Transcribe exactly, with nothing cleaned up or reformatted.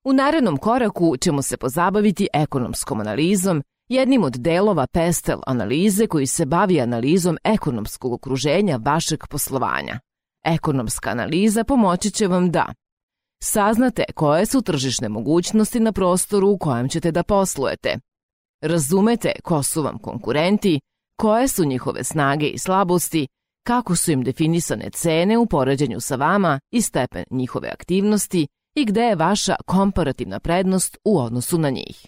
U narednom koraku ćemo se pozabaviti ekonomskom analizom, jednim od delova Pestel analize koji se bavi analizom ekonomskog okruženja vašeg poslovanja. Ekonomska analiza pomoći će vam da saznate koje su tržišne mogućnosti na prostoru u kojem ćete da poslujete, razumete ko su vam konkurenti, koje su njihove snage i slabosti, kako su im definisane cene u poređenju sa vama i stepen njihove aktivnosti i gde je vaša komparativna prednost u odnosu na njih.